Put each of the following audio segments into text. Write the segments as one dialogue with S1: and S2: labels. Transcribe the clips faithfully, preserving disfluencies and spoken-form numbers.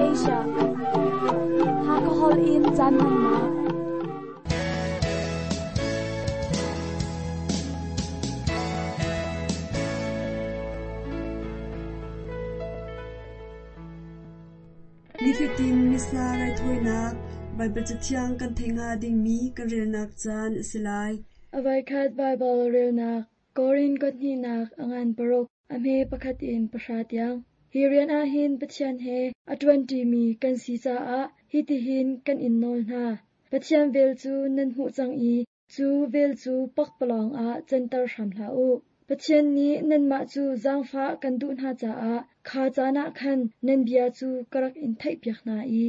S1: Asia. Hakahol in caan hmannak.
S2: Nifatin Missa raithawinak Baibal Cathiang kan theih hnga dingmi kan relnak caan a si lai.
S3: A voikhat Baibal relnak Korin kothnihnak a ngan paruk a hme pakhat in pahra tiang. Hi rian ah hin Pathian he a ṭuanṭimi kan si caah hitihin kan in nawl hna. Pathian vel cu nan hmuh cang i cu vel cu pakpalawng ah canter hram hlah u. Pathian nih nanmah cu zaangfah kan duh hna caah kha caan ah khan nan bia cu ka rak in theihpiak hna i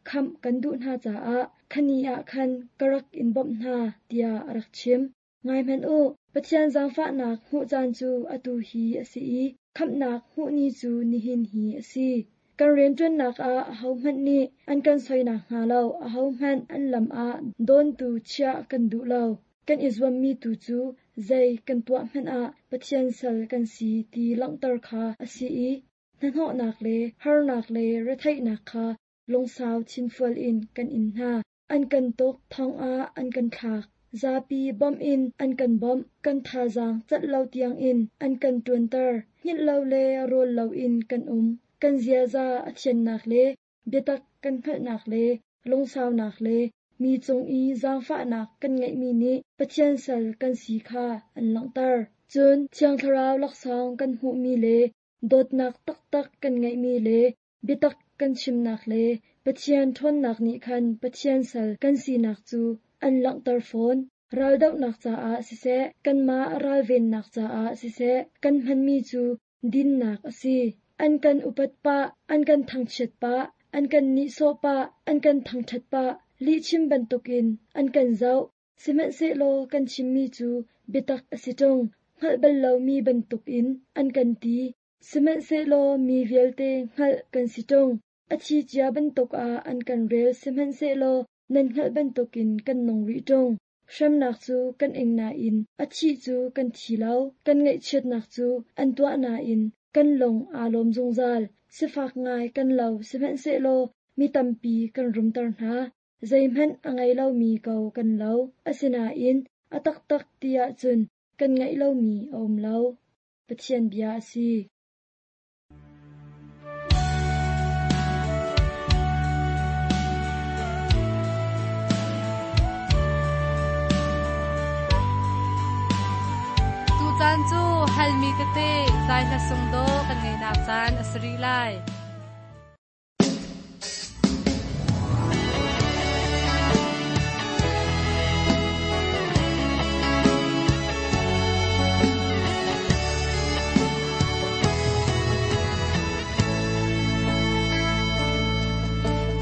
S3: khamh kan duh hna caah khani ah khan ka rak in bawmh hna, tiah a rak chim. Ngai hmanh u, Pathian zaangfahnak hmuh caan cu atu hi a si i khamhnak hmuh ni cu nihin hi a si. Kan rianṭuannak ah ahohmanh nih an kan soinak hnga lo, ahohmanh an lam ah dawntu chiah kan duh lo. Kan i zuammi tu cu zei kan tuah hmanh ah Pathian sal kan si ti langhter kha a si i hnahnawhnak le harnak le retheihnak kha lungsau thinfual in kan in hna. An kan tuk, thong ah an kan thlak. Zapi bawmh in an kan bawmh, kan thazaang cat lo tiangin an kan ṭuanter. Hngilh lo le rawl loin kan um. Kan ziaza a thiannak le biatak kan hngalhnak le lungsaunak le mi cung i zaangfahnak kan ngeihmi nih Pathian sal kan si kha an langhter. Cun Thiang Thlarau laksawng kan hmuhmi le dawtnak taktak kan ngeihmi le biatak kan chimnak le Pathian ṭhawnnak nih khan Pathian sal kan sinak cu an langhter fawn. Raldohnak caah siseh, kanmah ralvennak caah siseh, kan hmanmi cu dinnak a si. An kan upat pah, an kan thangchiat pah, an kan nihsawh pah, an kan thangṭhat pah, lihchim bantukin an kan zoh. Sihmanhsehlaw kan chimmi cu biatak a si ṭung, hngalh bal lomi bantukin an kan ti. Sihmanhsehlaw mi vialte hngalh kan si ṭung. A thi cia bantuk ah an kan rel sihmanhsehlaw nan hngalh bantukin kan nung rih ṭung. Hremnak cu kan ing nain a thih cu kan thi lo, kan ngaihchiatnak cu an tuah nain kan lung aa lawm zungzal. Sifak ngai kan lo sihmanhsehlaw mi tampi kan rumter hna. Zeihmanh a ngei lomi ko kan lo, asinain a taktak ti ahcun kan ngeih lomi a um lo. Pathian bia a si.
S4: Tucaan cu halmi tete zai hla sung do kan ngeinak caan a si rih lai.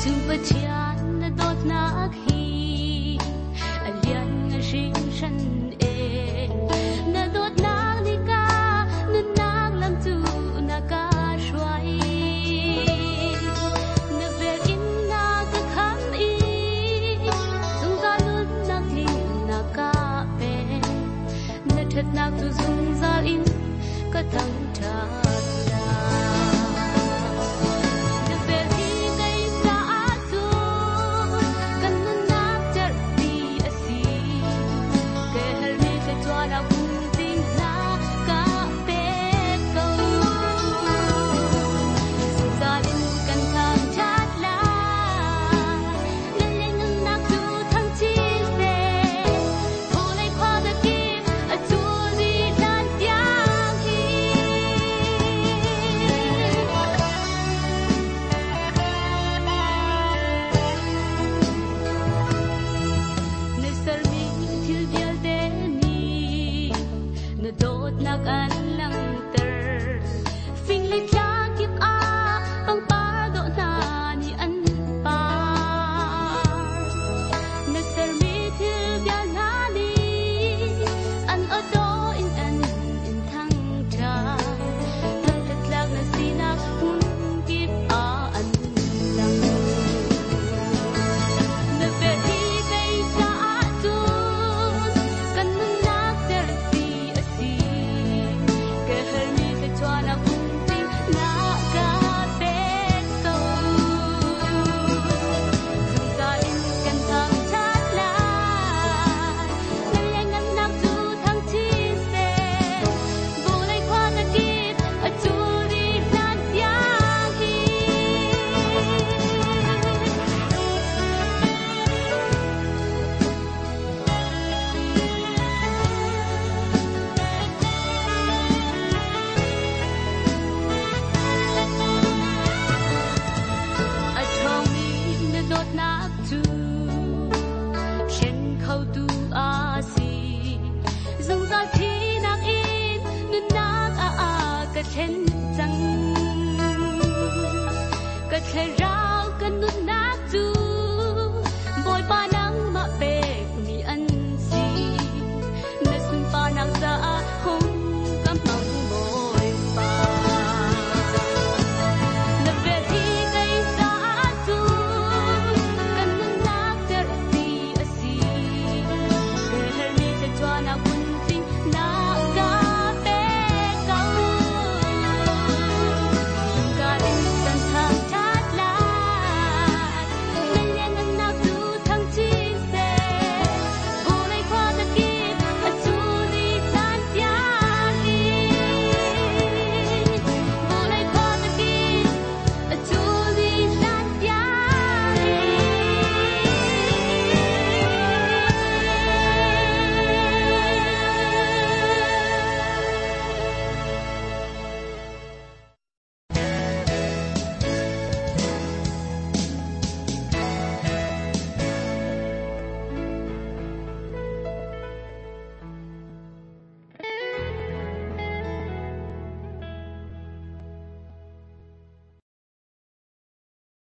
S5: Tu Pathian na dawtnak hi a lian nga hringhran e. Na dawtnak ni ka nunnak lam cu na ka hruai. Na vel in na ka kham i zungzal nunnak tling na ka pe. Na ṭhatnak cu zungzal in ka thangṭhat lai. Na vel hi kei caah cun kan nunnak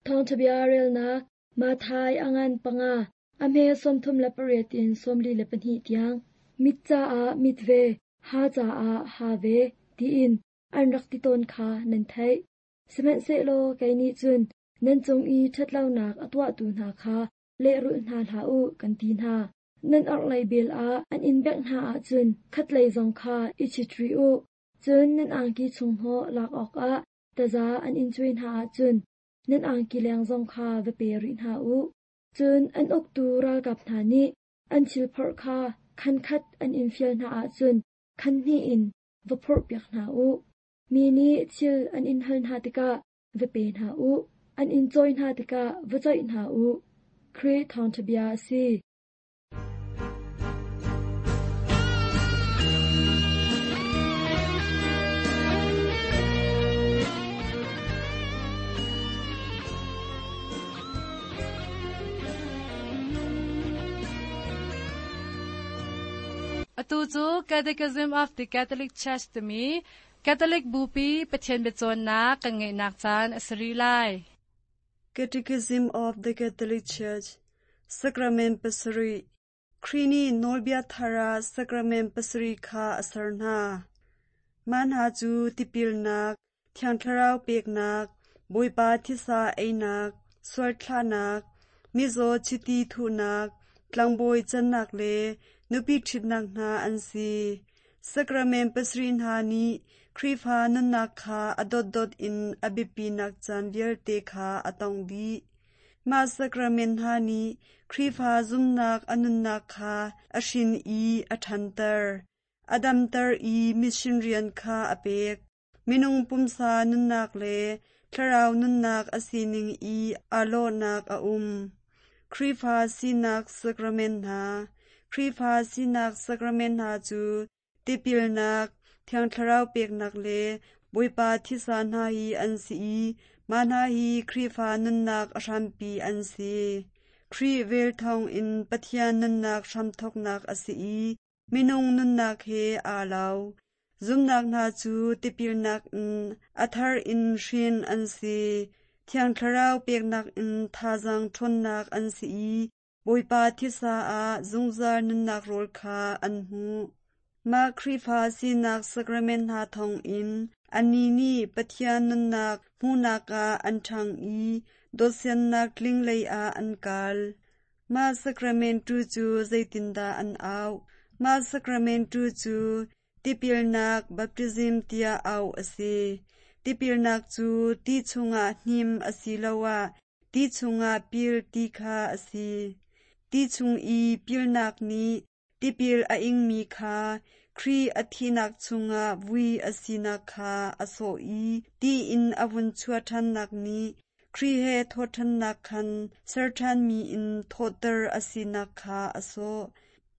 S3: Thawngṭhabia relnak Matthai a ngan panga a hme sawmthum le pariat in sawmli le pahnih tiang. Mit caah mit ve, ha caah ha ve, tiin an rak ti tawn kha nan theih. Sihmanhsehlaw kei nih cun nan cung i ṭhatlonak a tuahtu hna kha lehrulh hna hlah u kan ti hna. Nan orhlei bel ah an in bengh hna ahcun khatlei zong kha i chit rih u. Cun nan angki chunghnawh lak awkah taza an in cuai hna ahcun nan angki leng zong kha va pe rih hna u. Cun an uktu ralkap hna nih an thil phorh kha khan khat an in fial hna ahcun khan hnih in va phorhpiak hna u. Mi nih thil an in hal hna tikah va pe hna u. An in cawi hna tikah va coih hna u. Khrih thawngṭhabia a si.
S4: Atu cu Catechism of the Catholic Church timi Catholic Bupi Pathian biacawnnak kan ngeihnak caan a si rih lai.
S2: Catechism of the Catholic Church Sacrament pasarih Khrih nih nawlbia thar ah sacrament pasarih kha a ser hna. Mah hna cu tipilnak, Thiang Thlarau peknak, Bawipa thisa einak, sualthlahnak, mizaw chiti thuhnak, tlangbawi cannak le nupi ṭhitnak hna an si. Sacrament pasarih hna nih Khrihfa nunnak kha a dotdot in a biapinak caan vialte kha a tongh dih. Mah sacrament hna nih Khrihfa zumhnak a nunnak kha a hrin i a ṭhanter, a damter i mission rian kha a pek. Minung pumsa nunnak le thlarau nunnak a sining i aa lawhnak a um. Khrihfa sinak sacrament hna Khrihfa sinak sacrament hna cu tipilnak, Thiang Thlarau peknak le Bawipa thisa hna hi an si i mah hna hi Khrihfa nunnak a hrampi an si. Khrih vel thawngin Pathian nunnak hramthawknak a si i minung nunnak he aa lo. Zumnak hna cu tipilnak in a thar in hrin an si. Thiang Thlarau peknak in thazaang ṭhawnnak an si i Bawipa thisa ah zungzal nunnak rawl kha an hmu. Mah Khrihfa sinak sacrament hna thawngin annih nih Pathian nunnak hmuhnak ah an ṭhang i dawtsiannak tling lei ah an kal. Mah sacrament tu cu zeitindah an auh? Mah sacrament tu cu tipilnak baptism tiah auh a si. Tipilnak cu ti chungah hnim asiloah ti chungah pil ti kha a si. Ti chung i pilnak nih tipil a ingmi kha Khrih a thihnak chungah vui a sinak kha a sawh i ti in a vun chuah ṭhannak nih Khrih he thawhṭhannak khan ser ṭhanmi in thawhter a sinak kha a sawh.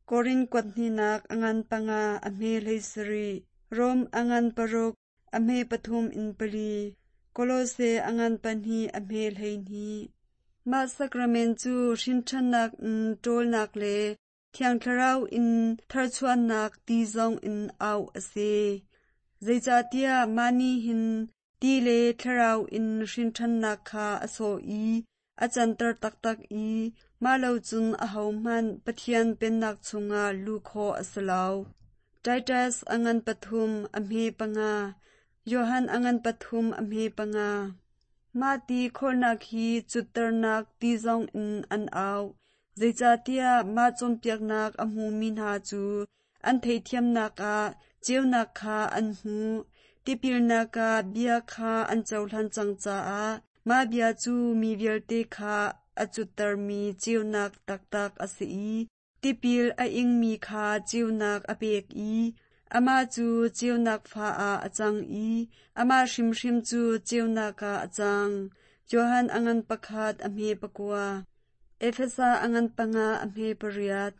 S2: Korin kuat hnihnak a ngan panga a hme hlei sarih, Rom a ngan paruk a hme pathum in pali, Kolose a ngan pahnih a hme hleihnih. Mah sacrament cu hrinṭhannak in ṭawlnak le Thiang Thlarau in tharchuahnak ti zong in auh a si. Zeicahtiah mah nih hin ti le thlarau in hrinṭhannak kha a sawh i a canter taktak i mah lo cun ahohmanh Pathian Pennak chungah luh khawh a si lo. Titus a ngan pathum a hme panga, Johan a ngan pathum a hme panga. Mah ti khawlnak hi cutternak ti zong in an auh. Zeicahtiah mah cawnpiaknak a hmumi hna cu an theihthiamnak ah ceunak kha an hmu. Tipilnak ah bia kha an cohlan cang caah mah bia cu mi vialte kha a cuttermi ceunak taktak a si i tipil a ingmi kha ceunak a pek i amah cu ceunak fa ah a cang i amah hrimhrim cu ceunak ah a cang. Johan a ngan pakhat a hme pakua. Efesa a ngan panga a hme pariat.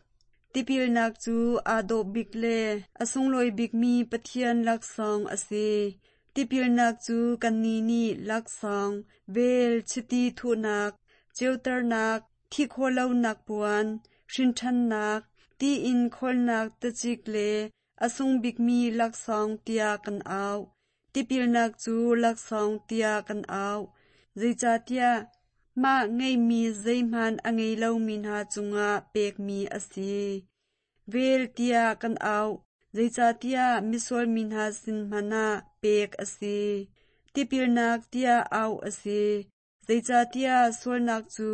S2: Tipilnak cu aa dawh bik le a sunglawi bikmi Pathian laksawng a si. Tipilnak cu kannih nih laksawng, vel, chiti thuhnak, ceuternak, thi khawhlonak puan, hrinṭhannak, ti in khawlnak tacik le a sung bikmi laksawng tiah kan auh. Tipilnak cu laksawng tiah kan auh. Zeicahtiah Mah ngeihmi zeihmanh a ngei lomi hna cungah pekmi a si. Vel tiah kan auh, zeicahtiah misual mi hna sin hmanh ah pek a si. Tipilnak tiah auh a si, zeicahtiah sualnak cu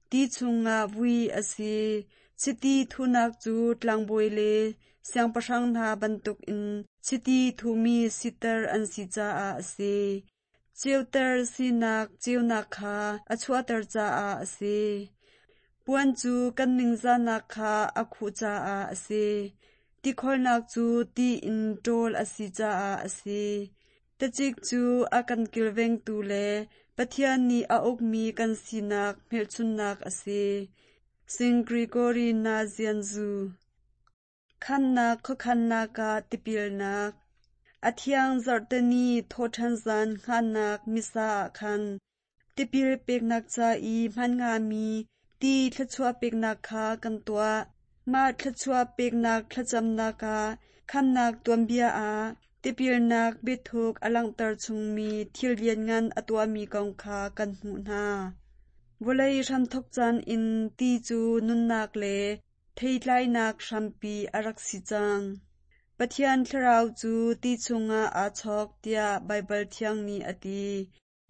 S2: ti chungah vui a si. Chiti thuhnak cu tlangbawi le siangpahrang hna bantukin chiti thuhmi siter an si caah a si. Ceuter sinak ceunak kha a chuahter caah a si. Puan cu kan ningzahnak kha a khuh caah a si. Tikholhnak cu ti in ṭawl a si caah a si. Tacik cu a kan kilvengtu le Pathian nih a ukmi kan sinak hmelchunhnak a si. Saint Gregory Nazianzu Khamnak khuakhannak ah tipilnak A thiang zarhteni thawhṭhan zan hngannak Missa ah khan tipil peknak ca i hman hngami ti thluachuah peknak kha kan tuah. Mah thluachuah peknak thlacamnak ah khamnak tuanbia ah tipilnak biathuk a langhter chungmi thil lianngan a tuahmi kong kha kan hmuh hna. Vawlei hramthawk caan in ti cu nunnak le theitlainak hrampi a rak si cang. Pathian thlarau cu ti chungah aa chawk tiah Baibal thiang nih a ti.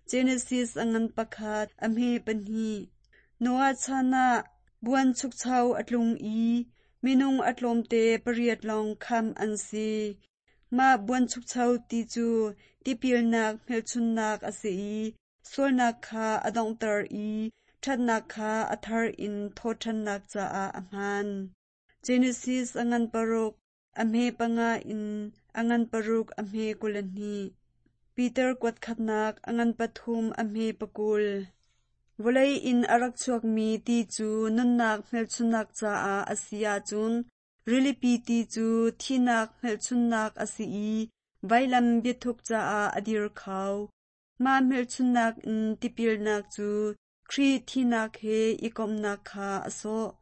S2: Genesis a ngan pakhat, a hme pahnih. Noah chan ah buanchukcho a tlung i minung a tlawmte pariat lawng khamh an si. Mah buanchukcho ti cu tipilnak hmelchunhnak a si i sualnak kha a donghter i ṭhatnak kha a thar in thawhṭhannak caah a hmaan. Genesis a ngan paruk, a hme panga in a ngan paruk a hme kul hnih. Peter kuat khatnak a ngan pathum a hme pakul. Vawlei in a rak chuakmi ti cu nunnak hmelchunhnak caah a si ahcun rilipi ti cu thihnak hmelchunhnak a si i vailam biathuk caah a dir kho. Mah hmelchunhnak in tipilnak cu Khrih thihnak he i komhnak kha a sawh.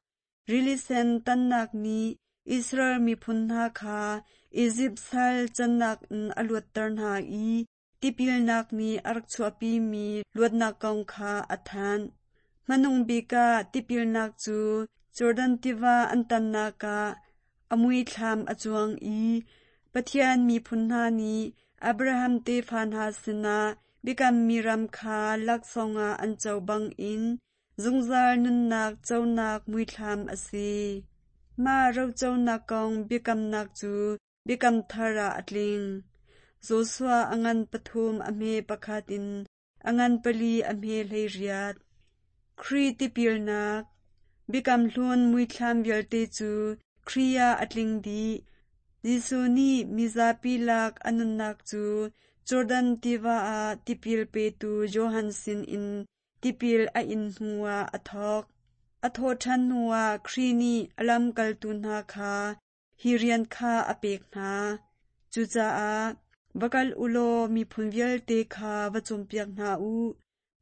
S2: Rili sen tannak nih Israel miphun hna kha Izipt sal cannak in a luatter hna i tipilnak nih a rak chuahpimi luatnak kong kha a thanh. Hmanung bik ah tipilnak cu Jordan tiva an tannak ah a muithlam a cuang i Pathian miphun hna nih Abraham tefa hna sinah biakammi ram kha laksawng ah an co bangin zungzal nunnak conak muithlam a si. Mah roconak kong biakamnak cu biakam thar ah a tling. Joshua a ngan pathum a hme pakhat in a ngan pali a hme hleiriat. Khrih tipilnak Biakam hlun muithlam vialte cu Khrih ah a tling dih. Jesuh nih mizapi lak a nunnak cu Jordan tiva ah tipil petu Johan sinin tipil a in hnuah a thawk. A thawhṭhan hnuah Khrih nih a lamkaltu hna kha hi rian kha a pek hna. Cucaah va kal u law miphun vialte kha va cawnpiak hna u.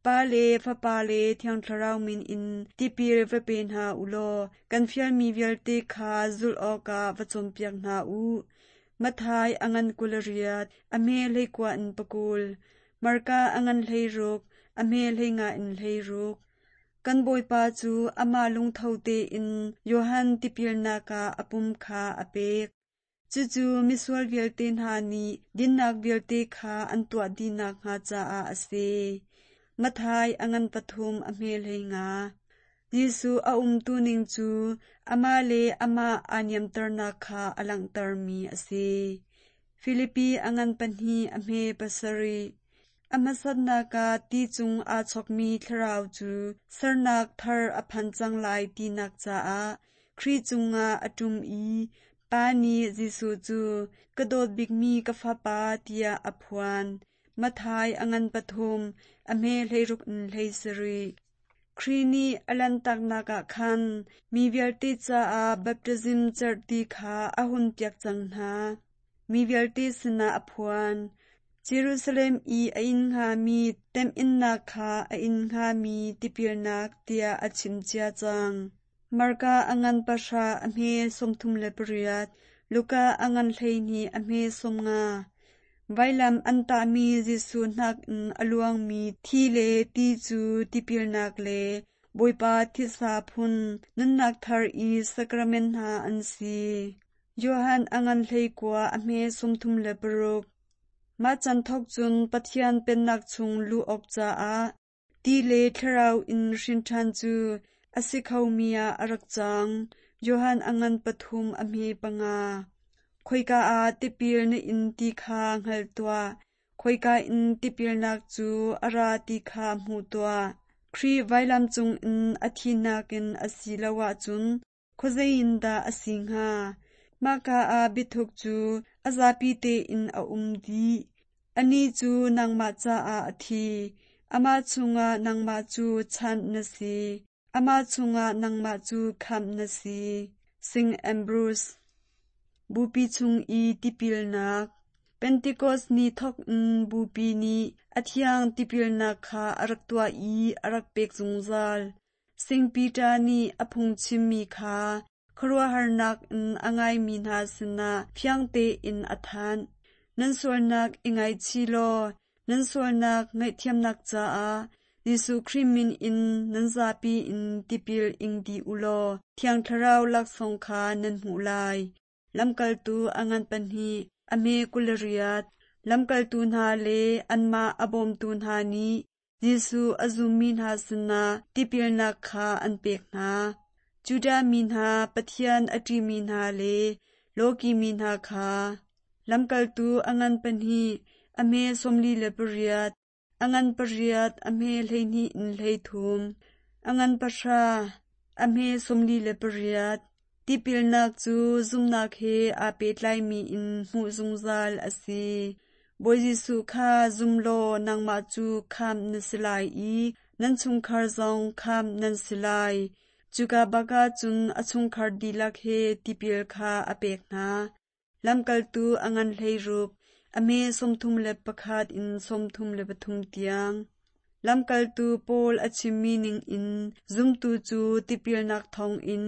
S2: Pa le Fapa le Thiang Thlarau min in tipil va pe hna u law kan fialmi vialte kha zulh awkah va cawnpiak hna u. Matthai a ngan kul riat, a hme hleikua in pakul. Marka a ngan hleiruk, a hme hleinga in hleiruk. Kan Bawipa cu amah lungtho tein Johan tipilnak ah a pum kha a pek. Cucu misual vialte hna nih dinnak vialte kha an tuah dih nakhnga caah a si. Matthai a ngan pathum a hme hleinga. Jesuh a umtu ning cu amah le amah aa niamternak kha a langhtermi a si. Filipi a ngan pahnih a hme pasarih. A hmasatnak ah ti cung aa chawkmi thlarau cu sernak thar a phan cang lai tinak caah Khrih cungah a ṭum i Pa nih Jesuh cu ka dawt bikmi ka fapa tiah a phuan. Matthai a ngan pathum, a hme hleiruk in hleisarih. Khrih nih a lanhtaknak ah khan mi vialte caah baptism cerhti kha a hunpiak cang hna. Mi vialte sinah a phuan. Jerusalem i a inn hngami temhinnak kha a inn hngami tipilnak tiah a chim cia cang. Marka a ngan pahra a hme sawmthum le pariat, Luka a ngan hleihnih a hme sawmnga. Vailam an tahmi Jesuh hnak in a luangmi thi le ti cu tipilnak le Bawipa thisa phun nunnak thar i sacrament hna an si. Johan a ngan hleikua a hme sawmthum le paruk. Mah caan thawk cun Pathian Pennak chung luh awk caah ti le thlarau in hrin ṭhan cu a si khomi ah a rak cang. Johan a ngan pathum a hme panga. Khoika ah tipil na in ti kha hngal tuah. Khoika in tipilnak cu a ra ti kha hmu tuah. Khrih vailam cungin a thinak in a si lo ahcun khuazei in dah a si hnga? Mahka ah biathuk cu a zapi tein a um dih. Anih cu nangmah caah a thi. Amah chungah nangmah cu chanh na si. Amah chungah nangmah cu khamh na si. Saint Ambrose. Bupi chung i tipilnak. Pentecost ni thawk in Bupi nih a thiang tipilnak kha a rak tuah i a rak pek zungzal. Saint Peter nih a phungchimmi kha khuaruahharnak in a ngaimi hna sinah fiang tein a thanh. Nan sualnak i ngaichih law nan sualnak ngaihthiamnak caah Jesuh Khrih min in nan zapi in tipil ing dih u law Thiang Thlarau laksawng kha nan hmuh lai. Lamkaltu a ngan pahnih, a hme kul le riat. Lamkaltu hna le anmah a bawmtu hna nih Jesuh a zummi hna sinah tipilnak kha an pek hna. Judah mi hna, Pathian a ṭihmi hna le lawki mi hna kha. Lamkaltu a ngan pahnih, a hme sawmli le pariat, a ngan pariat, a hme hleihnih in hleithum, a ngan pahra, a hme sawmli le pariat. Tipilnak cu zumnak he aa pehtlaimi in hmuh zungzal a si. Bawi Jesuh kha zum law nangmah cu khamh na si lai i nan chungkhar zong khamh nan si lai. Cuka bak cun a chungkhar dihlak he tipil kha a pek hna. Lamkaltu a ngan hleiruk, a hme sawmthum le pakhat in sawmthum le pathum tiang. Lamkaltu Paul a chimmi ningin zumtu cu tipilnak thawngin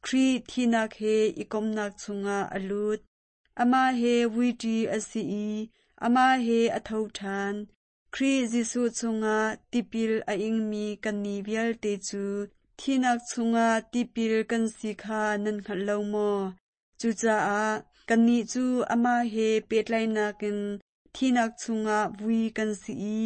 S2: Khrih thinak he i komnak chungah a lut. Amah he vuiṭi a si i amah he a tho ṭhan. Khrih Jesuh chungah tipil a ingmi kannih vialte cu thinak chungah tipil kan si kha nan hngalh lo maw? Cucaah kannih cu amah he pehtlaihnak in thinak chungah vui kan si i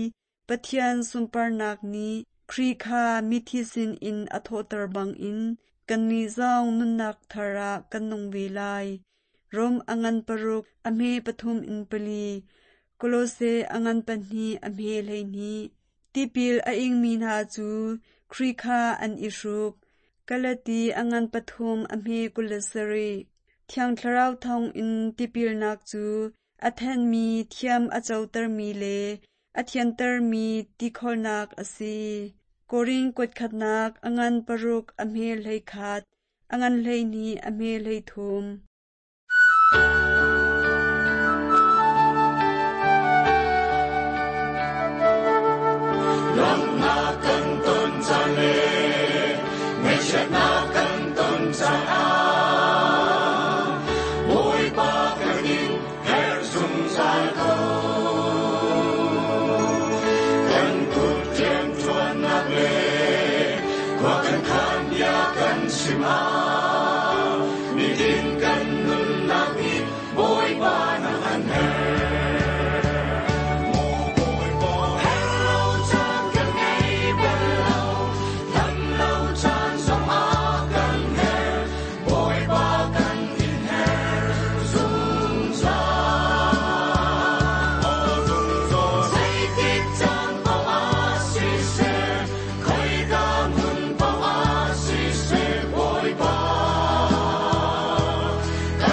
S2: Pathian sunparnak nih Khrih kha mithi sinin a thawhter bangin kannih zong nunnak thar ah kan nung ve lai. Rom a ngan paruk, a hme pathum in pali. Kolose a ngan pahnih, a hme hleihnih. Tipil a ingmi hna cu Khrih kha an i hruk. Galati a ngan pathum, a hme kul le sarih. Thiang Thlarau thawngin tipilnak cu a thenmi, thiam a cotermi le a thiantermi tikholnak a si. Korin kuatkhatnak a ngan paruk, a hme hleikhat, a ngan hleihnih, a hme hleithum.
S6: Lawmhnak kan ton caan le ngaihchiatnak kan ton caan ah Bawipa kan in herh zungzal ko. Kan kut rianṭuannak le khua kan khan bia kan chim ah nitin kan nunnak nih Bawipa nang an herh. Maw Bawipa herh lo caan kan ngei bal lo, dam lo caan zong ah kan herh, Bawipa kan in herh zungzal. Aw zungzal. Zeitik caan paoh ah siseh, khoika hmun paoh ah siseh, Bawipa kan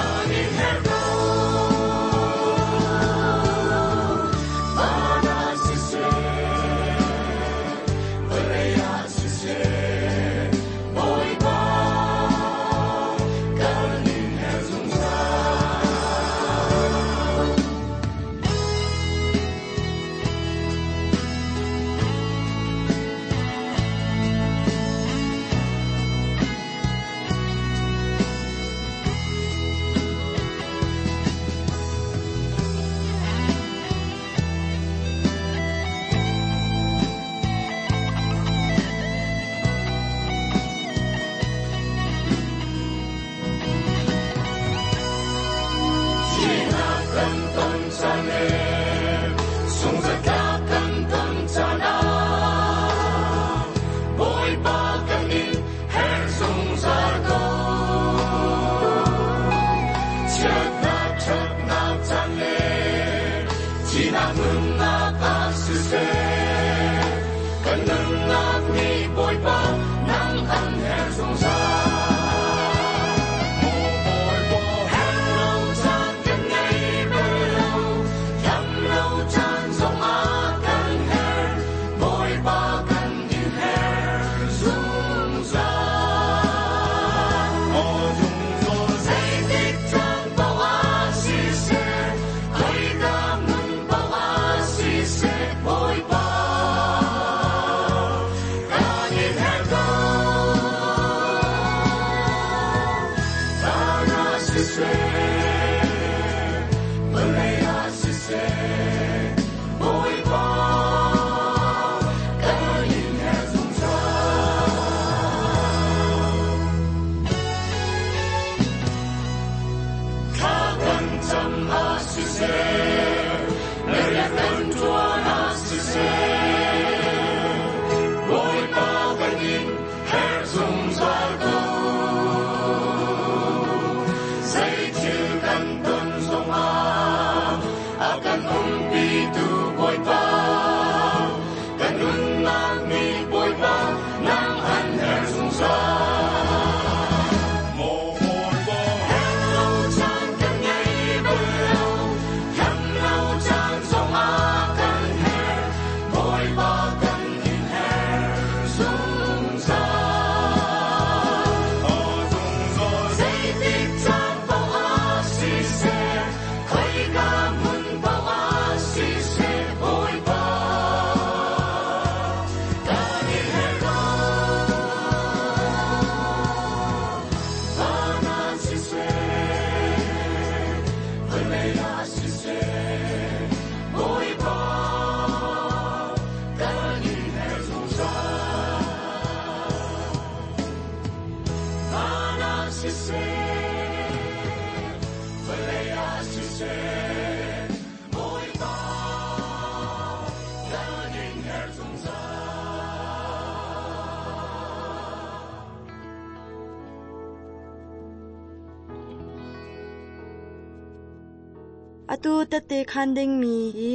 S2: Atu tette khan ding mi hi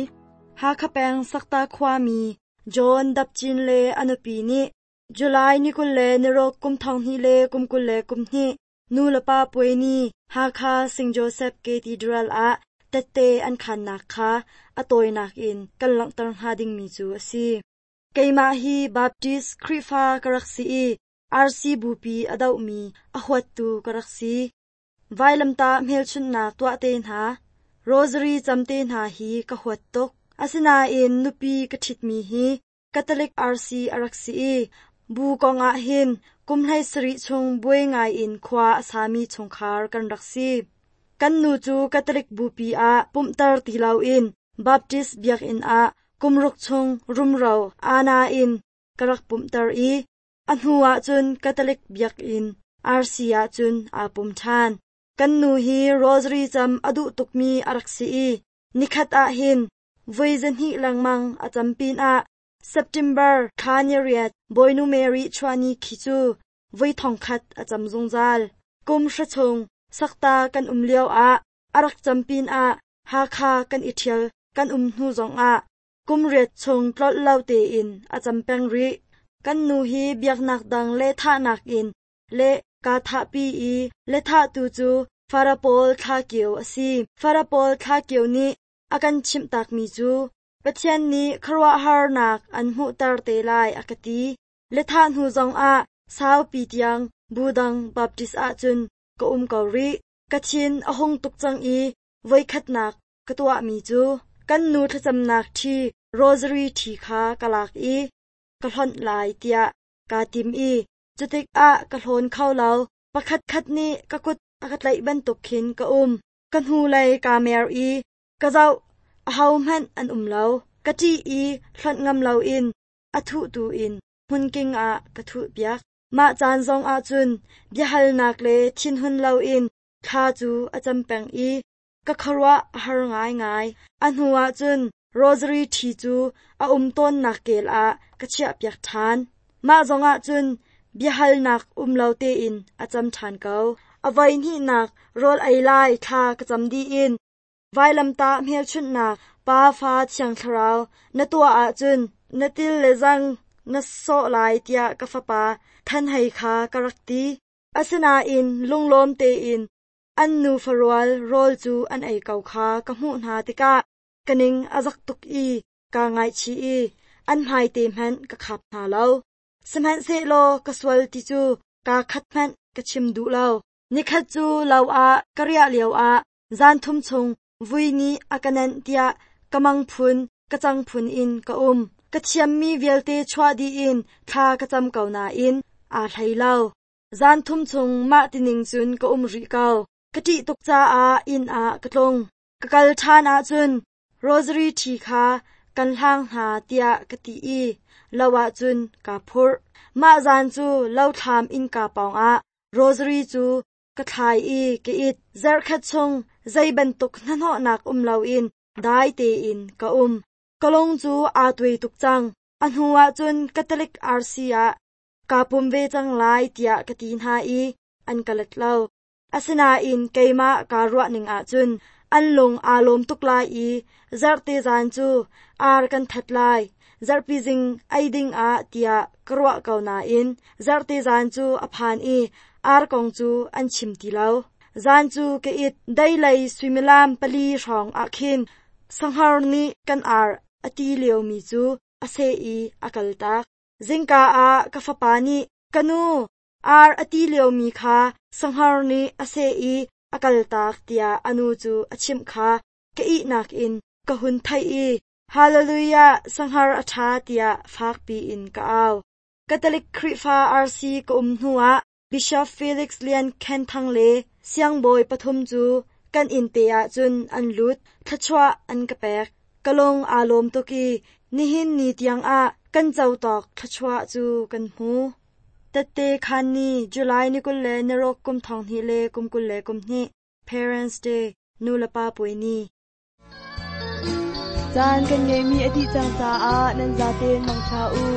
S2: Hakha peng Sakta khuami John Dapchin le a nupi nih July ni kul le niruk kum thong hnih le kum kul le kum hnih nu le pa puai ni Hakha Saint Joseph Cathedral ah tette an khannak kha a tawinak in kan langhter hnga dingmi cu a si. Keimah hi Baptist Khrihfa ka rak si i R C bupi a dohmi a huattu ka rak si. Vailamtah hmelchunhnak tuah te hna, rosary cam te hna hi ka huat tuk. Asinain nupi ka ṭhitmi hi Catholic R C a rak si i bu kong ah hin kum hlei sarih chung buai ngai in khua a sami chungkhar kan rak si. Kan nu cu Catholic bupi ah pumhter ti loin Baptist biakinn ah kum ruk chung rumro ana in ka rak pumhter i a hnu ahcun Catholic biakinn R C ahcun aa pum ṭhan. Kan nu hi rosary cam a duh tukmi a rak si i nikhat ah hin voi zahnih lengmang a cam pinah September thla ni riat Bawinu Mary chuahni khi cu voi thongkhat a cam zungzal. Kum hra chung Sakta kan um lio ah a rak cam pinah Hakha kan i ṭhial kan um hnu zongah kum riat chung tlolh lo tein a cam peng rih. Kan nu hi biaknak dang le thahnak in le kaa thahpi i le thahtu cu Farapol Thlakio a si. Farapol Thlakio nih a kan chimh takmi cu Pathian nih khuaruahharnak an hmuhter te lai a ka ti. Le thah hnu zongah saupi tiang budang Baptist ahcun ka um ko rih. Ka thin a hung tuk cang i voikhatnak ka tuahmi cu kan nu thlacamnak ṭhi rosary ṭhi kha ka lak i ka hlonh lai tiah kaa tim i cutikah ka hlawn kho lo. Pakhat khat nih ka kut a ka tlaih bantuk khin ka um. Ka hnulei kaa mer i ka zoh, ahohmanh an um lo. Ka ṭih i hlonh ngam loin a thuhtu in hmunking ah ka thuhpiak. Mah caan zong ahcun biahalnak le thinhun loin thla cu a cam peng i ka khuaruah a har ngaingai. A hnu ahcun rosary ṭhi cu a um tawnnak kel ah ka chiahpiak ṭhan. Mah zong ahcun biahalnak um lo tein a cam ṭhan ko. A voihnihnak rawl ei lai thla ka cam dih in vailamtah hmelchunhnak Pa Fa Thiang Thlarau na tuah ahcun na til le zang na sawh lai tiah ka fapa Than Hei kha ka rak ti. Asinain lunglawm tein an nu farual rawl cu an ei ko kha ka hmuh hna tikah ka ning a zak tuk i kaa ngaihchih i an hmaite hmanh ka khap hna lo. Sihmanhsehlaw ka sual ti cu kaa khat hmanh ka chim duh lo. Nikhat cu lo ah ka riah lioah zan thum chung vui nih a ka nenh tiah ka mang phun ka cang phun in ka um. Ka thiammi vialte chuah dih in thla ka cam ko nain aa hlei lo. Zan thum chung mah tining cun ka um rih ko. Ka ṭih tuk caah inn ah ka tlung. Ka kal ṭhan ahcun rosary ṭhi kha kan hlang hna tiah ka ti i lo ahcun kaa phurh. Mah zan cu lothlam innka pawngah rosary cu ka thlai i ka it. Zarhkhat chung zei bantuk hnahnawhnak um loin dai tein ka um. Ka lung cu aa tuai tuk cang. A hnu ahcun Catholic R C ah kaa pum ve cang lai tiah ka ti hna i an ka let lo. Asinain keimah kaa ruah ning ahcun an lung aa lawm tuk lai i zarhte zan cu ar kan that lai, zarhpi zing ei ding ah tiah ka ruah ko nain zarhte zan cu a phan i ar kong cu an chim ti lo. Zan cu ka it. Deilei suimilam pali hrawng ah khin sahngar nih kan ar a ti liomi cu a seh i a kaltak. Zingka ah ka fapa nih, "Ka nu, ar a ti liomi kha sahngar nih a seh i a kaltak," tiah a nu cu a chimh kha ka ihnak in ka hun theih i "Hallelujah, sahngar a ṭha," tiah fakpi in ka au. Catholic Khrihfa R C ka um hnuah Bishop Felix Lian Khen Thang le siangbawi pathum cu kan inn te ahcun an lut, thluachuah an ka pek. Ka lung aa lawm tuk i nihin ni tiangah kan co tawk thluachuah cu kan hmu. Tette khan ni July ni kul le niruk kum thong hnih le kum kul le kum hnih Parents Day nu le pa puai ni.
S3: Caan kan ngeimi a dih cang caah nan zaten mangṭha u.